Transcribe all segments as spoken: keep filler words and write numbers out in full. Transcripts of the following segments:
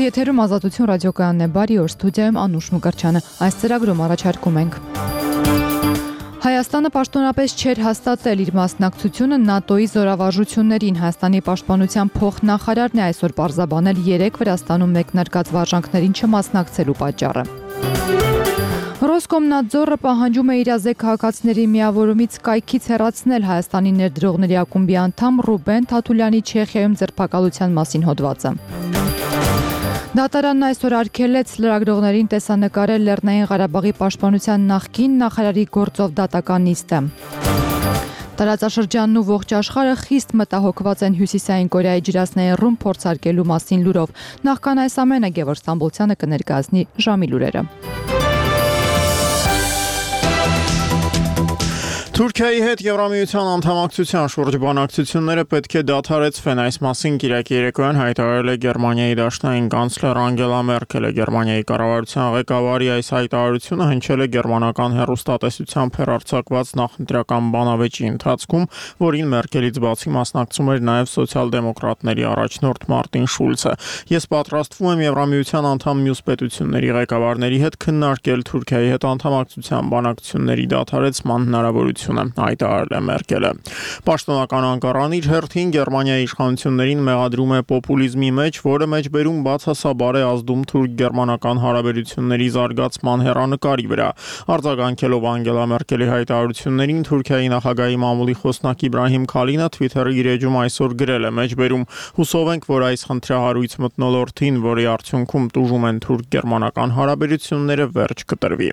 Եթերում Ազատություն ռադիոկայանն է, բարի օր, ստուդիայում Անուշ Մկրտչյանը։ Այս ծրագրում առաջարկում ենք. Հայաստանը պաշտոնապես չէր հաստատել իր մասնակցությունը ՆԱՏՕ-ի զորավարժություններին։ Հայաստանի պաշտպանության փոխնախարարն է այսօր պարզաբանել երեք Վրաստանում մեկնարկած վարժանքներին չմասնակցելու պատճառը։ Ռոսկոմնadzորը պահանջում է իրազեկ քաղաքացիների միավորումից կայքից հեռացնել Հայաստանի ներդրողների ակումբի անդամ Ռուբեն Թաթուլյանի Չեխիայում ձերբակալության մասին հոդվածը։ Դատարանն այսօր արգելեց լրագրողներին տեսանկարել Լեռնային Ղարաբաղի պաշտպանության նախկին նախարարի գործով դատական նիստը։ Տարածաշրջանն ու ողջ աշխարհը խիստ մտահոգված են Հյուսիսային Կորեայի ջրասնային ռումբ փորձարկելու մասին լուրով։ Նախքան այս ամենը Գևորգ Ստամբոլցյանը կներկայացնի ժամի լուրերը։ Թուրքիայի հետ Եվրամիության անդամակցության շուրջ բանակցությունները պետք է դադարեցվեն, այս մասին կիրակի երեկոյան հայտարարել է Գերմանիայի դաշնային կանցլեր Անգելա Մերկելը։ Գերմանիայի կառավարության ղեկավարի այս հայտարարությունը հնչել է գերմանական հեռուստատեսությամբ հեռարձակված նախընտրական բանավեճի ընթացքում, որին Մերկելից բացի մասնակցում էր նաև սոցիալ-դեմոկրատների առաջնորդ Մարտին Շուլցը։ Ես պատրաստվում եմ Եվրամիության անդամ մյուս պետությունների ղեկավարների հետ քննարկել Թուրքիայի հետ անդամակցության բանակցությունների դադարեցման հնարավորությունը, հայտարարել է Մերկելը։ Պաշտոնական Անկարան իր հերթին Գերմանիայի իշխանություններին մեղադրում է պոպուլիզմի մեջ, որը մեջբերում բացասաբար է ազդում թուրք-գերմանական հարաբերությունների զարգացման հեռանկարի վրա։ Արձագանքելով Անգելա Մերկելի հայտարարություններին, Թուրքիայի նախագահի մամուլի խոսնակ Իբրահիմ Քալինը Twitter-ի իր էջում այսօր գրել է. մեջբերում հուսով ենք, որ այս խնդրահարույց մթնոլորտին, որի արդյունքում տուժում են թուրք-գերմանական հարաբերությունները, վերջ կտրվի։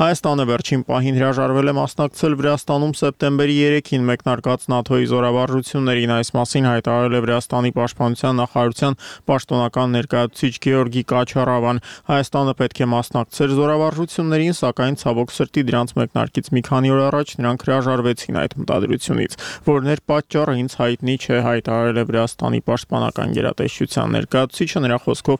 Հայաստանը վերջին պահին հրաժարվել է մասնակցել Վրաստանում սեպտեմբերի երեքին մեկնարկած ՆԱՏՕ-ի զորավարժություններին, այս մասին հայտարարել է Վրաստանի պաշտպանության նախարարության պաշտոնական ներկայացուցիչ Գեորգի Կաչարավան։ Հայաստանը պետք է մասնակցեր զորավարժություններին, սակայն ցավոք սրտի դրանց մեկնարկից մի քանի օր առաջ նրանք հրաժարվեցին այդ մտադրությունից, որն էր պատճառը ինձ հայտնի չէ, հայտարարել է Վրաստանի պաշտպանական գերատեսչության ներկայացուցիչը։ Նրա խոսքով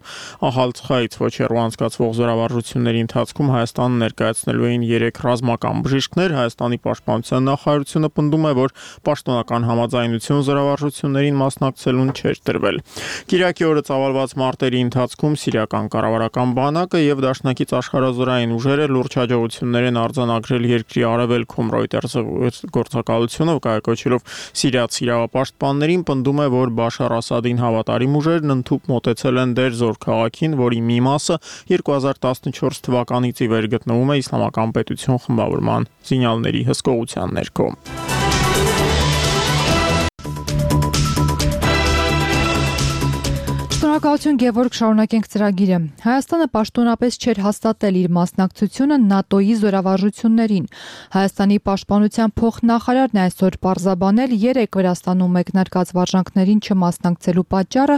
ահալցխայից ոչ հեռու անցկացվող զորավարժությունների ընթացքում Հայաստանը ներկայացնելու էին երեք ռազմական բժիշկներ։ Հայաստանի պաշտպանության նախարարությունը պնդում է, որ պաշտոնական համաձայնություն զորավարժություններին մասնակցելուն չէր տրվել։ Կիրակի օրը ծավալված մարտերի ընթացքում սիրիական կառավարական բանակը եւ դաշնակից աշխարհազորային ուժերը լուրջ հաջողություններ են արձանագրել երկրի արևելքում։ Reuters-ը գործակալությունը կայակոչելով սիրիացի իրավապաշտպաններին պնդում է, որ Բաշար Ասադին հավատարիմ ուժերն ընդհուպ մոտեցել են Դերզոր քաղաքին, որի մի մասը երկու հազար տասնչորս թվականից ի վեր գտնվում է Իսլամական պետություն խմբավորման զինյալների հսկողության ներքո։ Շնորհակալություն Գևորգ, շարունակենք ծրագիրը։ Հայաստանը պաշտոնապես չէր հաստատել իր մասնակցությունը ՆԱՏՕ-ի զորավարժություններին։ Հայաստանի պաշտպանության փոխնախարարն է այսօր պարզաբանել երեք Վրաստանում մեկնարկած վարժանքներին չմասնակցելու պատճառը,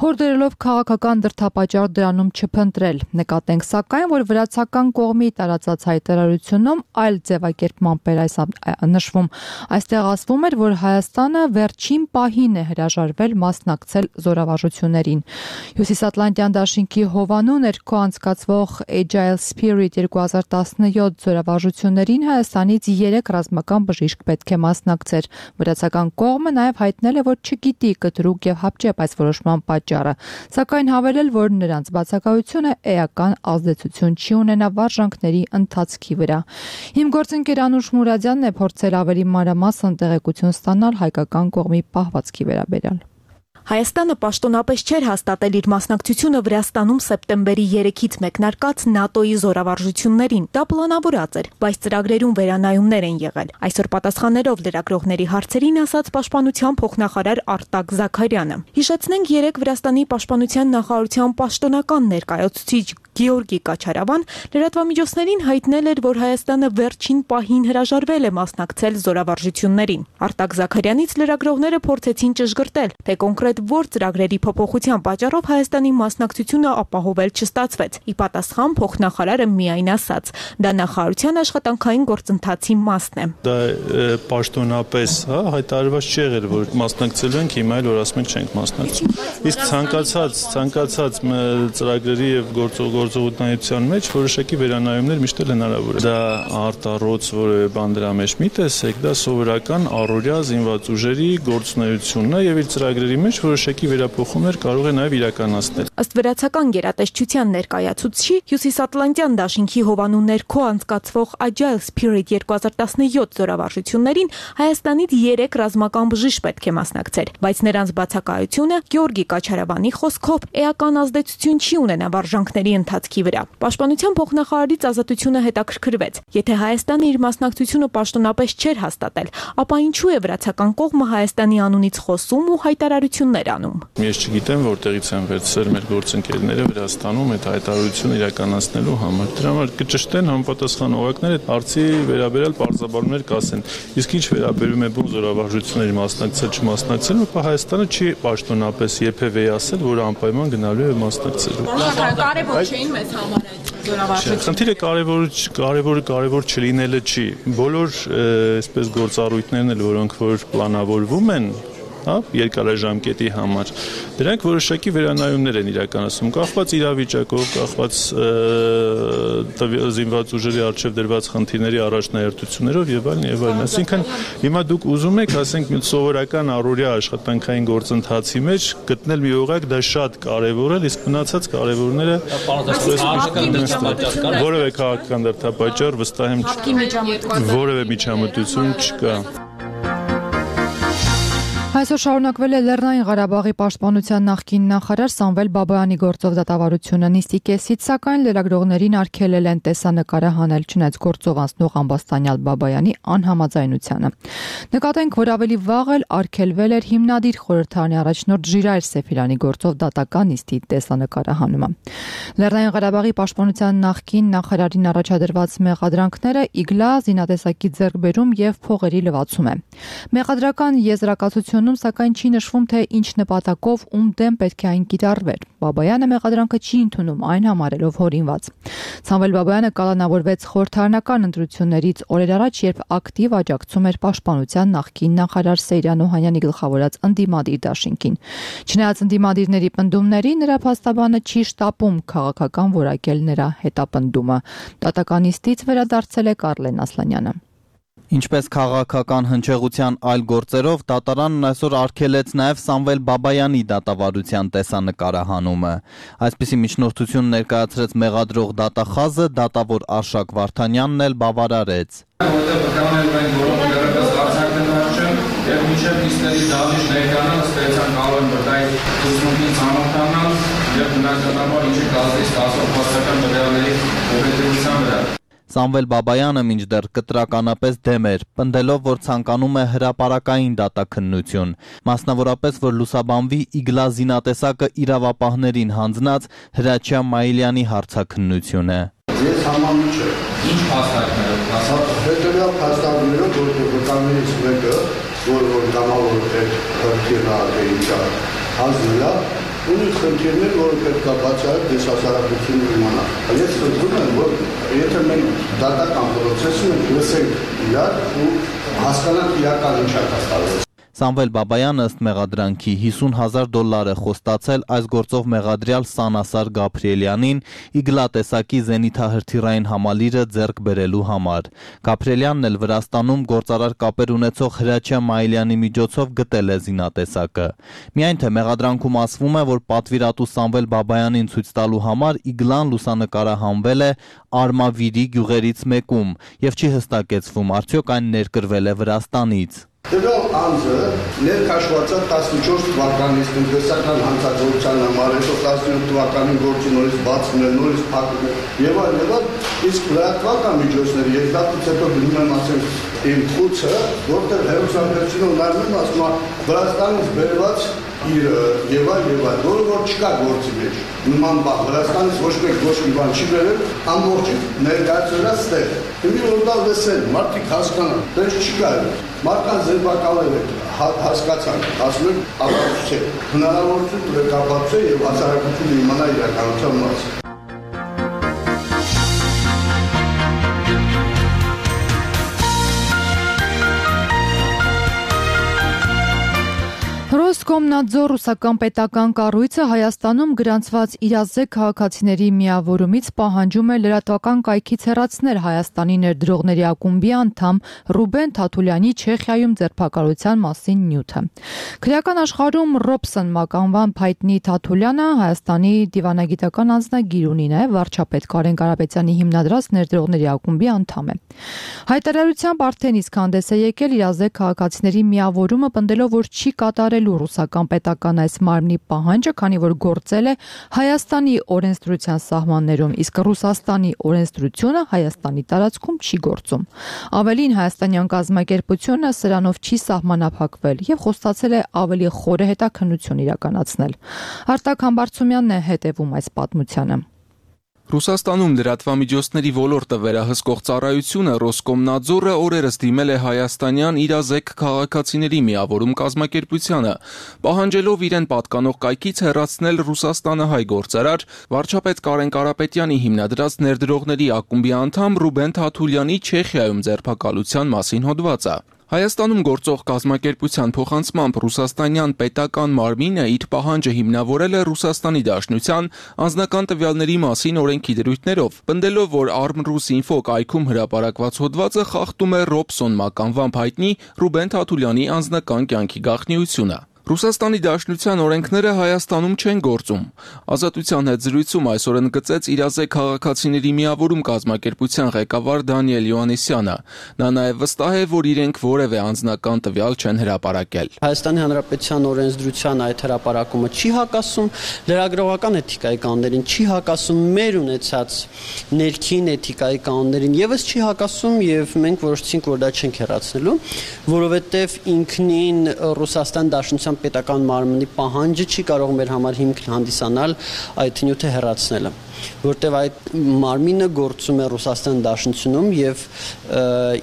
հորդորելով քաղաքական դրդապատճառ դրանում չփնտրել։ Նկատենք սակայն, որ վրացական կողմի տարածած հայտարարությունում այլ ձևակերպմամբ էր այս նշվում։ Այստեղ ասվում էր, որ Հայաստանը վերջին պահին է հրաժարվել մասնակցել զորավարժություններին։ Հյուսիսատլանտյան դաշինքի հովանու ներքո անցկացվող Agile Spirit երկու հազար տասնյոթ զորավարժություններին Հայաստանից երեք ռազմական բժիշկ պետք է մասնակցեր։ Վրացական կողմը նաև հայտնել է, որ չգիտի կտրուկ եւ հապճեպ այս որոշման պատճառը, սակայն հավելել, որ նրանց բացակայությունը էական ազդեցություն չի ունենա վարժանքների ընթացքի վրա։ Իմ գործընկեր Անուշ Մուրադյանն է փորձել ավելի մանրամասն տեղեկություն ստանալ հայկական կողմի պահվածքի վերաբերյալ։ Հայաստանը պաշտոնապես չէր հաստատել իր մասնակցությունը Վրաստանում սեպտեմբերի երեքից մեկնարկած ՆԱՏՕ-ի զորավարժություններին։ Դա պլանավորած էր, բայց ծրագրերում վերանայումներ են եղել։ Այսօր պատասխաններով լրագրողների հարցերին ասաց պաշտպանության փոխնախարար Արտակ Զաքարյանը։ Հիշեցնենք, երեք Վրաստանի պաշտպանության նախարարության պաշտոնական ներկայացուցիչ Գեորգի Կաչարավան լրատվամիջոցներին հայտնել էր, որ Հայաստանը վերջին պահին հրաժարվել է մասնակցել զորավարժություններին։ Արտակ Զաքարյանից լրագրողները փորձեցին ճշգրտել, թե կոնկրետ որ ծրագրերի փոփոխության պատճառով Հայաստանի մասնակցությունը ապահովել չստացվեց։ Ի պատասխան փոխնախարարը միայն ասաց. դա նախարարության աշխատանքային գործընթացի մասն է։ Դա պաշտոնապես, հա, հայտարարված չի եղել, որ մասնակցելու ենք, հիմա էլ որ ասում ենք չենք մասնակցում։ Իսկ ցանկացած, ցանկացած ծրագրերի եւ գործող գործողությունների մեջ որոշակի վերանայումներ միշտ էլ հնարավոր է։ Դա արտառոց որևէ բան դրա մեջ մի տեսեք, դա սովորական առօրյա զինված ուժերի գործունեությունն է եւ իր ծրագրերի մեջ որոշակի վերափոխումներ կարող է նաեւ իրականացնել։ Ըստ վրացական գերատեսչության ներկայացուցչի Հյուսիսատլանտյան դաշինքի հովանու ներքո անցկացվող Agile Spirit երկու հազար տասնյոթ զորավարժություններին Հայաստանից երեք ռազմական բժիշկ պետք է մասնակցեր, բայց նրանց բացակայությունը Գեորգի Կաչարավանի խոսքով էական ազդեցություն չի ունենա վարժանքների ընթացքի վրա։ Պաշտպանության փոխնախարարից Ազատությունը հետաքրքրվեց. եթե Հայաստանը իր մասնակցությունը պաշտոնապես չէր հաստատել, ապա ինչու է վրացական կողմը Հայաստանի անունից խոսում ու հայտարարություններ անում։ Ես չգիտեմ որտեղից են վերցրել մեր գործընկերները Վրաստանում այդ հայտարարությունը իրականացնելու համար։ Դրա համար կճշտեն համապատասխան օղակները արծի վերաբերյալ պարզաբանումներ կասեն։ Իսկ ինչ վերաբերում է բուն զորավարժությունների մասնակցել չմասնակցել, ապա Հայաստանը չի պաշտոնապես երբևէ ասել, որ անպայման գնալու է մասնակցելու։ Կարևոր չէին մեզ համար այդ զորավարժությունները։ Խնդիրը կարևոր կարևորը կարևոր չլինելը չի։ Բոլոր այսպես գործառույթներն էլ, որոնք որ պլանավորվում են, հա, երկարաժամկետի համար, դրանք որոշակի վերանայումներ են իրականացնում, կախված իրավիճակով, կախված զինված ուժերի առջև դրված խնդիրների առաջնահերթություններով եւ այլն եւ այլն։ Այսինքն հիմա դուք ուզում եք, ասենք, մի սովորական առօրյա աշխատանքային գործընթացի մեջ գտնել մի օղակ, դա շատ կարեւոր է, իսկ մնացած կարեւորները որևէ քաղաքական դրդապատճառ վստահ եմ չկա։ Որևէ միջամտություն չկա։ Այսօր շարունակվել է Լեռնային Ղարաբաղի պաշտպանության նախկին նախարար Սամվել Բաբայանի գործով դատավարությունը։ Նիստի կեսից, սակայն լրագրողներին արգելել են տեսանկարը հանել, չնայած գործով անցնող ամբաստանյալ Բաբայանի անհամաձայնությանը։ Նկատենք, որ ավելի վաղ էլ արգելվել էր հիմնադիր խորհրդարանի առաջնորդ Ժիրայր Սեֆիրյանի գործով դատական նիստի տեսանկարը հանումը։ Լեռնային Ղարաբաղի պաշտպանության նախկին նախարարին առաջադրված մեղադրանքները իգլա, զինատեսակի ձեռքբերում եւ փողերի լվացում է։ Մեղադրական եզրակացություն սակայն չի նշվում, թե ինչ նպատակով ում դեմ պետք է այն կիրառվեր։ Բաբայանը մեղադրանքը չի ընդունում, այն համարելով հորինված։ Սամվել Բաբայանը կալանավորվեց խորհրդարանական ընտրություններից օրեր առաջ, երբ ակտիվ աջակցում էր պաշտպանության նախկին նախարար Սեյրան Օհանյանի գլխավորած ընդդիմադիր դաշինքին։ Չնայած ընդդիմադիրների պնդումների, նրա փաստաբանը չի շտապում քաղաքական որակել նրա հետապնդումը։ Դատական նիստից վերադարձել է Կարլեն Ասլանյանը։ Ինչպես քաղաքական հնչեղության այլ գործերով, դատարանն այսօր արգելեց նաև Սամվել Բաբայանի դատավարության տեսանկարահանումը։ Այսպիսի միջնորդություն ներկայացրեց մեղադրող դատախազը, դատավոր Արշակ Վարդանյանն էլ բավարարեց։ Որտեղ բկանել մենք որոնք դեռևս արձակել են եւ մինչեւ նիստերի դահլիճ ներկանալ, ստեցան կարող են բրդայի ուսումնին ծանոթանալ եւ բնականաբար ինչի կազմի ստացող փաստական տվյալների օբյեկտիվության վրա։ Սամվել Բաբայանը մինչդեռ կտրականապես դեմ էր, պնդելով, որ ցանկանում է հրապարակային դատաքննություն, մասնավորապես, որ լուսաբանվի իգլա զինատեսակը իրավապահներին հանձնած Հրաչյա Մայիլյանի հարցաքննությունը։ Ես համամիջ եմ։ Ինչ փաստարկներով, հետևյալ փաստարկներով, որ վկայներից մեկը, որ որ կամավոր է խնդիրը հանձնելա, ունի խնդիրներ, որը պետք է բացահայտ դեսասարակությունը իմանալ։ Ես խնդրում եմ, որ եթե մենք դատական պրոցեսում ենք լսենք իրար ու հասկանանք իրական ինչ է կատարվում։ Սամվել Բաբայանը ըստ մեղադրանքի հիսուն հազար դոլար է խոստացել այս գործով մեղադրյալ Սանասար Գաբրիելյանին իգլա տեսակի զենիթահրթիռային համալիրը ձեռք բերելու համար։ Գաբրիելյանն էլ Վրաստանում գործարար կապեր ունեցող Հրաչյա Մայիլյանի միջոցով գտել է զինատեսակը։ Միայն թե մեղադրանքում ասվում է, որ պատվիրատու Սամվել Բաբայանին ցույց տալու համար իգլան լուսանկարահանվել է Արմավիրի գյուղերից մեկում եւ չի հստակեցվում, արդյոք այն ներկրվել է Վրաստանից։ Տվյալ անձը ներքաշվածած տասնչորս թվականից տնտեսական հանցագործության համար, հետո տասնյոթ թվականին գործի նորից բացում է, նորից փակում է եւ այլ եւ այլ, իսկ լրատվական միջոցների երկդատից հետո գնում եմ ասեմ իմ խուցը, որտեղ հերոսապետությունով նայում եմ, ասում եմ Վրաստանից բերված իր եւ այլ եւ այլ, որը որ չկա գործի մեջ։ Նման բան Վրաստանից ոչ մեկ ոչ մի բան չի բերել, ամբողջը ներկայացրած ստեղ։ Հիմա որ դա լսեն, մարդիկ հասկանան, դες չի կարելի։ Մարդկանց ձերբակալել եք, հասկացանք, ասում եք ապացուցե, հնարավորություն տվեք ապացուցե եւ հասարակությունը իմանա իրականության մասը։ Ռոսկոմնadzor ռուսական պետական կառույցը Հայաստանում գրանցված իրազեկ քաղաքացիների միավորումից պահանջում է լրատվական կայքից հեռացնել Հայաստանի ներդրողների ակումբի անդամ Ռուբեն Թաթուլյանի Չեխիայում ձերբակալության մասին նյութը։ Քրեական աշխարհում Ռոբսոն մականվամբ հայտնի Թաթուլյանը Հայաստանի դիվանագիտական անձնագիր ունի, նաև վարչապետ Կարեն Կարապետյանի հիմնադրած ներդրողների ակումբի անդամ է։ Հայտարարությամբ արդեն իսկ հանդես է եկել իրազեկ քաղաքացիների միավորումը, պնդելով, որ չի կատարել ռուսական պետական այս մարմնի պահանջը, քանի որ գործել է Հայաստանի օրենսդրության սահմաններում, իսկ Ռուսաստանի օրենսդրությունը Հայաստանի տարածքում չի գործում։ Ավելին, հայաստանյան կազմակերպությունը սրանով չի սահմանափակվել եւ խոստացել է ավելի խորը հետաքննություն իրականացնել։ Արտակ Համբարձումյանն է հետևում այս պատմությանը։ Ռուսաստանում լրատվամիջոցների ոլորտը վերահսկող ծառայությունը Ռոսկոմնadzorը օրերս դիմել է հայաստանյան իրազեկ քաղաքացիների միավորում կազմակերպությանը, պահանջելով իրեն պատկանող կայքից հեռացնել Ռուսաստանը հայ գործարար վարչապետ Կարեն Կարապետյանի հիմնադրած ներդրողների ակումբի անդամ Ռուբեն Թաթուլյանի Չեխիայում ձերբակալության մասին հոդվածը։ Հայաստանում գործող կազմակերպության փոխանցմամբ ռուսաստանյան պետական մարմինը իր պահանջը հիմնավորել է Ռուսաստանի Դաշնության անձնական տվյալների մասին օրենքի դրույթներով, պնդելով, որ Arm.Rus.Info կայքում հրապարակված հոդվածը խախտում է Ռոբսոն մականվամբ հայտնի Ռուբեն Թաթուլյանի անձնական կյանքի գաղտնիությունը։ Ռուսաստանի Դաշնության օրենքները Հայաստանում չեն գործում։ Ազատության հետ զրույցում այսօր ընդգծեց իրազեկ քաղաքացիների միավորում կազմակերպության ղեկավար Դանիել Յոհաննիսյանը։ Նա նաև վստահ է, որ իրենք որևէ անձնական տվյալ չեն հրապարակել։ Հայաստանի Հանրապետության օրենսդրության այդ հրապարակումը չի հակասում լրագրողական էթիկայի կանոններին, չի հակասում մեր ունեցած ներքին էթիկայի կանոններին, եւս չի հակասում, եւ մենք որոշեցինք, որ դա չենք հեռացնելու, որովհետեւ ինքնին Ռուսաստան Դաշնության պետական մարմնի պահանջը չի կարող մեր համար հիմք հանդիսանալ այդ նյութը հեռացնելը, որտեղ այդ մարմինը գործում է Ռուսաստան Դաշնությունում եւ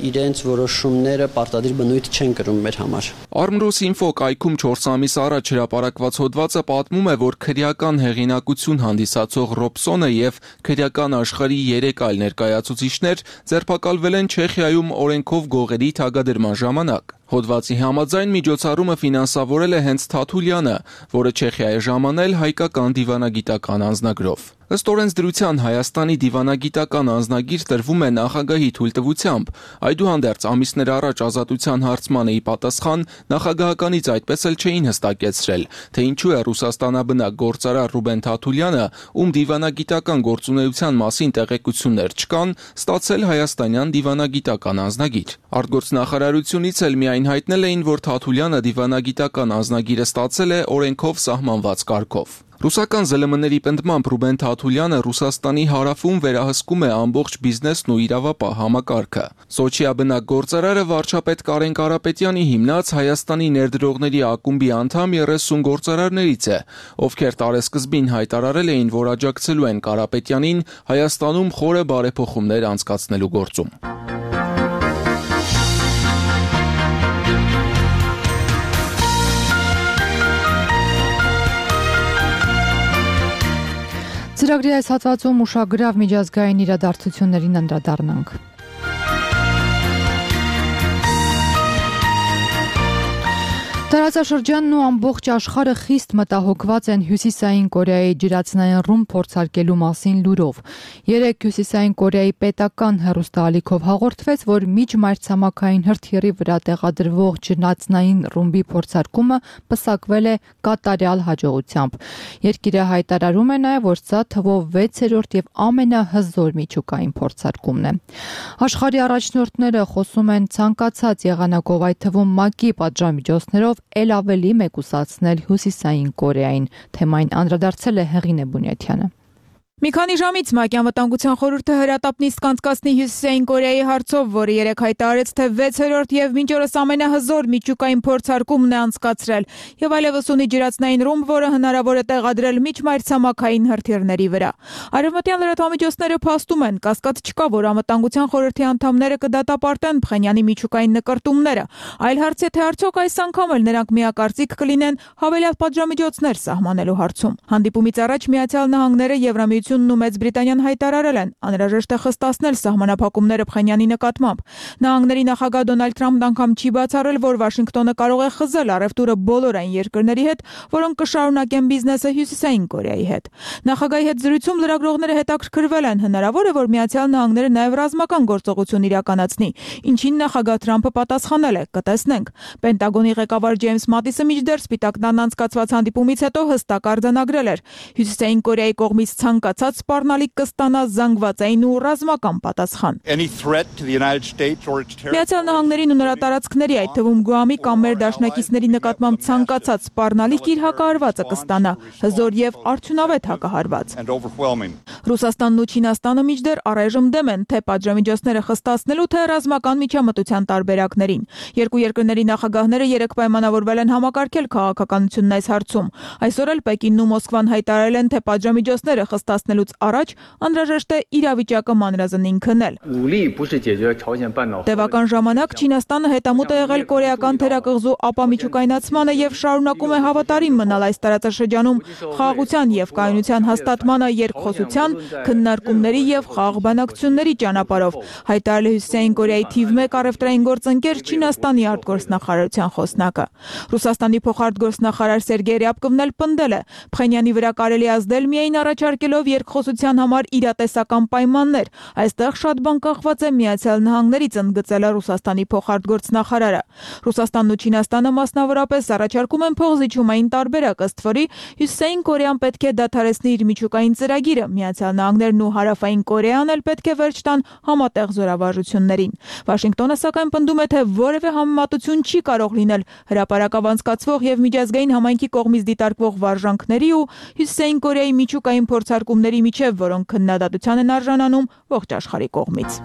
իրենց որոշումները պարտադիր բնույթ չեն կրում մեր համար։ Arm.Rus.Info կայքում չորս ամիս առաջ հրապարակված հոդվածը պատմում է, որ քրեական հեղինակություն հանդիսացող Ռոբսոնը եւ քրեական աշխարհի երեք այլ ներկայացուցիչներ ձերբակալվել են Չեխիայում օրենքով գողերի թագադրման ժամանակ։ Հոդվածի համաձայն միջոցառումը ֆինանսավորել է հենց Թաթուլյանը, որը Չեխիա է ժամանել հայկական դիվանագիտական անձնագրով։ Ըստ օրենսդրության Հայաստանի դիվանագիտական անձնագիր տրվում է նախագահի թույլտվությամբ, այդուհանդերձ ամիսներ առաջ ազատության հարցմանը ի պատասխան նախագահականից այդպես էլ չէին հստակեցրել, թե ինչու է Ռուսաստանաբնակ գործարար Ռուբեն Թաթուլյանը, ում դիվանագիտական գործունեության մասին տեղեկություններ չկան, ստացել հայաստանյան դիվանագիտական անձնագիր։ Արտգործնախարարությունից էլ միայն հայտնել էին, որ Թաթուլյանը դիվանագիտական անձնագիրը ստացել է օրենքով սահմանված կարգով։ Ռուսական զլ եմ ների պնդմամբ Ռուբեն Թաթուլյանը Ռուսաստանի հարավում վերահսկում է ամբողջ բիզնեսն ու իրավապահ համակարգը։ Սոչիաբնակ գործարարը վարչապետ Կարեն Կարապետյանի հիմնած Հայաստանի ներդրողների ակումբի անդամ երեսուն գործարարներից է, ովքեր տարեսկզբին հայտարարել էին, որ աջակցելու են Կարապետյանին Հայաստանում խորը բարեփոխումներ անցկացնելու գործում։ Ծրագրի այս հատվածում ուշագրավ միջազգային իրադարձություններին անդրադառնանք։ Տարածաշրջանն ու ամբողջ աշխարհը խիստ մտահոգված են Հյուսիսային Կորեայի ջրածնային ռումբ փորձարկելու մասին լուրով։ Երեկ Հյուսիսային Կորեայի պետական հեռուստաալիքով հաղորդվեց, որ միջմայրցամաքային հրթիռի վրա տեղադրվող ջրածնային ռումբի փորձարկումը պսակվել է կատարյալ հաջողությամբ։ Երկիրը հայտարարում է նաև, որ սա թվով վեցերորդ եւ ամենահզոր միջուկային փորձարկումն է։ Աշխարհի առաջնորդները խոսում են ցանկացած եղանակով, այդ թվում ՄԱԿ-ի պատժամիջոցներով էլ ավելի մեկուսացնել Հյուսիսային Կորեային։ Թեմային անդրադարձել է Հեղինե Բունյաթյանը։ Մի քանի ժամից ՄԱԿ-ի անվտանգության խորհուրդը հրատապ նիստ կանցկացնի Հյուսիսային Կորեայի հարցով, որը երեկ հայտարարեց, թե վեցերորդ եւ մինչ օրս ամենահզոր միջուկային փորձարկումն է անցկացրել եւ այլևս ունի ջրածնային ռումբ, որը հնարավոր է տեղադրել միջմայրցամաքային հրթիռների վրա։ Արևմտյան լրատվամիջոցները փաստում են, կասկած չկա, որ անվտանգության խորհրդի անդամները կդատապարտեն Փխենյանի միջուկային նկրտումները, այլ հարց է, թե արդյոք այս անգամ էլ նրանք միակարծիք կլինեն հավելյալ պատժամիջոցներ սահմանելու հարցում։ Հանդիպումից առաջ Միացյալ Նահանգները, Եվրամիությունը Միությունն ու Մեծ Բրիտանիան հայտարարել են, անհրաժեշտ է խստացնել սահմանափակումները Փխենյանի նկատմամբ։ Նահանգների նախագահ Դոնալդ Թրամփն անգամ չի բացառել, որ Վաշինգտոնը կարող է խզել առևտուրը բոլոր այն երկրների հետ, որոնք կշարունակեն բիզնեսը Հյուսիսային Կորեայի հետ։ Նախագահի հետ զրույցում լրագրողները հետաքրքրվել են, հնարավոր է, որ Միացյալ Նահանգները նաև ռազմական գործողություն իրականացնի, ինչին նախագահ Թրամփը պատասխանել է՝ կտեսնենք։ Պենտագոնի ղեկավար Ջեյմս Մատիսը մինչդեռ Սպիտակ տանն անցկացված հանդիպումից հետո հստակ արձանագրել էր. Հյուսիսային Կորեայի կողմից ցանկացած սպառնալիք կստանա զանգվածային ու ռազմական պատասխան։ Միացյալ Նահանգներին ու նրա տարածքների, այդ թվում Գուամի կամ մեր դաշնակիցների նկատմամբ ցանկացած սպառնալիք իր հակահարվածը կստանա, հզոր եւ արդյունավետ հակահարված։ Ռուսաստանն ու Չինաստանը մինչդեռ առայժմ դեմ են թե պատժամիջոցները խստացնելու, թե ռազմական միջամտության տարբերակներին։ Երկու երկրների նախագահները երեք պայմանավորվել են համակարգել քաղաքականությունն այս հարցում։ Այսօր էլ Պեկինն ու Մոսկվան հայտարարել են, թե պատժամիջոցները խստացնելուց առաջ անհրաժեշտ է իրավիճակը մանրազնին քննել։ Տևական ժամանակ Չինաստանը հետամուտ է եղել կորեական թերակղզու ապամիջուկայնացմանը եւ շարունակում է հավատարիմ մնալ այս տարածաշրջանում խաղաղության եւ կայունության հաստատմանը երկխոսության, քննարկումների եւ խաղաղ բանակցությունների ճանապարհով, հայտարարել է Հյուսիսային Կորեայի թիվ մեկ առևտրային գործընկեր Չինաստանի արտգործնախարարության խոսնակը։ Ռուսաստանի փոխարտգործնախարար Սերգեյ Ռյաբկովն էլ պնդել է, Փխենյանի վրա կարելի ազդել միայն առաջարկելով երկխոսության համար իրատեսական պայմաններ։ Այստեղ շատ բան կախված է Միացյալ Նահանգներից, ընդգծել է Ռուսաստանի փոխարտգործնախարարը։ Ռուսաստանն ու Չինաստանը մասնավորապես առաջարկում են փոխզիջումային տարբերակ, ըստ որի Հյուսիսային Կորեան պետք է դադարեցնի իր միջուկային ծրագիրը, Միացյալ Նահանգներն ու Հարավային Կորեան էլ պետք է վերջ տան համատեղ զորավարժություններին։ Վաշինգտոնը սակայն պնդում է, թե որևէ համեմատություն չի կարող լինել հրապարակավ անցկացվող եւ միջազգային համայնքի կողմից դիտարկվող վարժանքների ու Հյուսիսային Կորեայի միջուկային փորձարկումների միջև, որոնք քննադատության են արժանանում ողջ աշխարհի կողմից։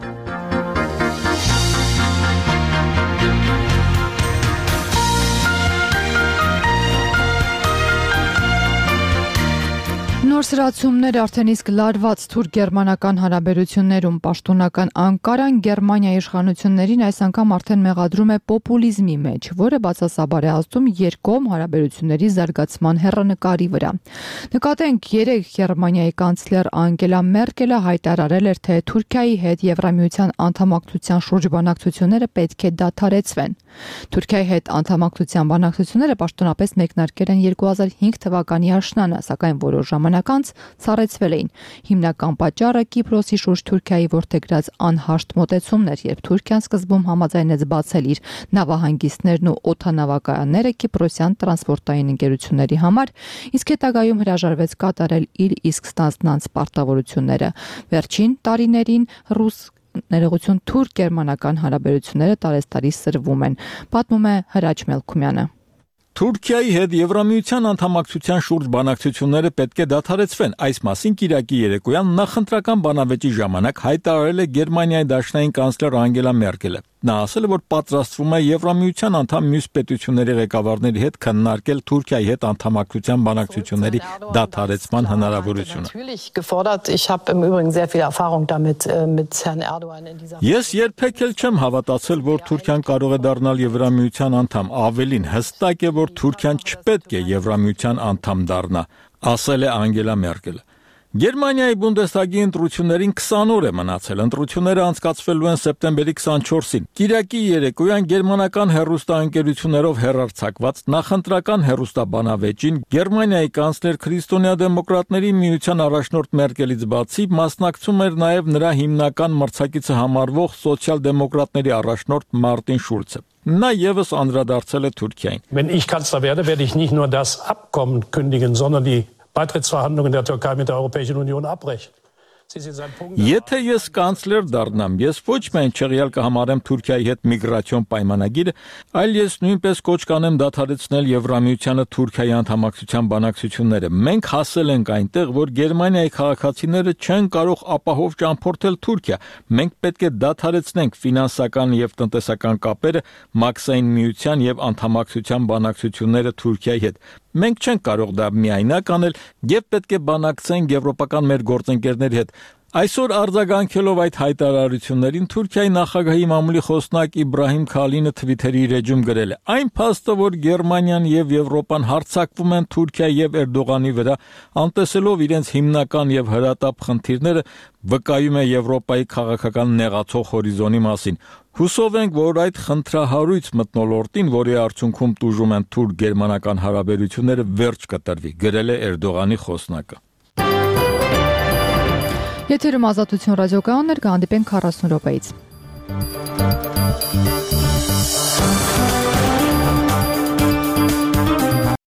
Նոր սրացումներ արդեն իսկ լարված թուրք-գերմանական հարաբերություններում պաշտոնական Անկարան Գերմանիայի իշխանություններին այս անգամ արդեն մեղադրում է պոպուլիզմի մեջ, որը բացասաբար է ազդում երկկողմ հարաբերությունների զարգացման հեռանկարի վրա։ Նկատենք, երեկ Գերմանիայի կանցլեր Անգելա Մերկելը հայտարարել էր, թե Թուրքիայի հետ Եվրամիության անդամակցության շուրջ բանակցությունները պետք է դադարեցվեն։ Թուրքիայի հետ անդամակցության բանակցությունները պաշտոնապես մեկնարկել են երկու հազար հինգ թվականի աշնանը, սակայն որոշ ժամանակ անց սառեցվել էին։ Հիմնական պատճառը Կիպրոսի շուրջ Թուրքիայի որդեգրած անհաշտ մոտեցումն էր, երբ Թուրքիան սկզբում համաձայնեց բացել իր նավահանգիստներն ու օդանավակայանները կիպրոսյան տրանսպորտային ընկերությունների համար, իսկ հետագայում հրաժարվեց կատարել իր իսկ ստանձնած պարտավորությունները։ Վերջին տարիներին ռուս ներողություն թուրք-գերմանական հարաբերությունները տարեստարի սրվում են, պատմում է Հրաչ Մելքումյանը։ Թուրքիայի հետ Եվրամիության անդամակցության շուրջ բանակցությունները պետք է դադարեցվեն։ Այս մասին Կիրակի երեկոյան նախընտրական բանավեճի ժամանակ հայտարարել է Գերմանիայի դաշնային կանցլեր Անգելա Մերկելը։ Նա ասել է, որ պատրաստվում է Եվրամիության անդամ մյուս պետությունների ղեկավարների հետ քննարկել Թուրքիայի հետ անդամակցության բանակցությունների դադարեցման հնարավորությունը։ Ես երբեք էլ չեմ հավատացել, որ Թուրքիան կարող է դառնալ Եվրամիության անդամ, ավելին հստակ է, որ Թուրքիան չպետք է Եվրամիության անդամ դառնա, ասել է Անգելա Մերկելը։ Գերմանիայի Բունդեսթագի ընտրություններին քսան օր է մնացել։ Ընտրությունները անցկացվելու են սեպտեմբերի քսանչորսին։ Կիրակի երեկոյան գերմանական հեռուստաընկերություններով հեռարձակված նախընտրական հեռուստաբանավեճին Գերմանիայի կանցլեր Քրիստոնյա-դեմոկրատների միության առաջնորդ Մերկելից բացի մասնակցում էր նաև նրա հիմնական մրցակիցը համարվող սոցիալ-դեմոկրատների առաջնորդ Մարտին Շուլցը։ Նա եւս անդրադարձել է Թուրքիային։ Wenn ich Kanzler werde, werde ich nicht nur das Abkommen kündigen, sondern die Beitrittsverhandlungen der Türkei mit der Europäischen Union abbrechen. Եթե ես կանցլեր դառնամ, ես ոչ միայն չեղյալ կհամարեմ Թուրքիայի հետ միգրացիոն պայմանագիրը, այլ ես նույնպես կոչ կանեմ դադարեցնել Եվրամիությանը Թուրքիայի անդամակցության բանակցությունները։ Մենք հասել ենք այնտեղ, որ Գերմանիայի քաղաքացիները չեն կարող ապահով ճամփորդել Թուրքիա։ Մենք պետք է դադարեցնենք ֆինանսական եւ տնտեսական կապերը Մաքսային միության եւ անդամակցության բանակցությունները Թուրքիայի հետ։ Մենք չենք կարող դա միայնակ անել եւ պետք է բանակցենք եվրոպական մեր գործընկերների հետ։ Այսօր արձագանքելով այդ հայտարարություններին Թուրքիայի նախագահի մամուլի խոսնակ Իբրահիմ Քալինը Twitter-ի իր էջում գրել է. «Այն փաստը, որ Գերմանիան եւ Եվրոպան հարձակվում են Թուրքիայի եւ Էրդողանի վրա, անտեսելով իրենց հիմնական եւ հրատապ խնդիրները, վկայում է Եվրոպայի քաղաքական նեղացող հորիզոնի մասին։ Հուսով ենք, որ այդ խնդրահարույց մթնոլորտին, որի արդյունքում տուժում են թուրք-գերմանական հարաբերությունները, վերջ կտրվի», գրել է Էրդողանի խոսնակը։ Եթերում Ազատություն ռադիոկայաններ, կհանդիպենք քառասուն րոպեից։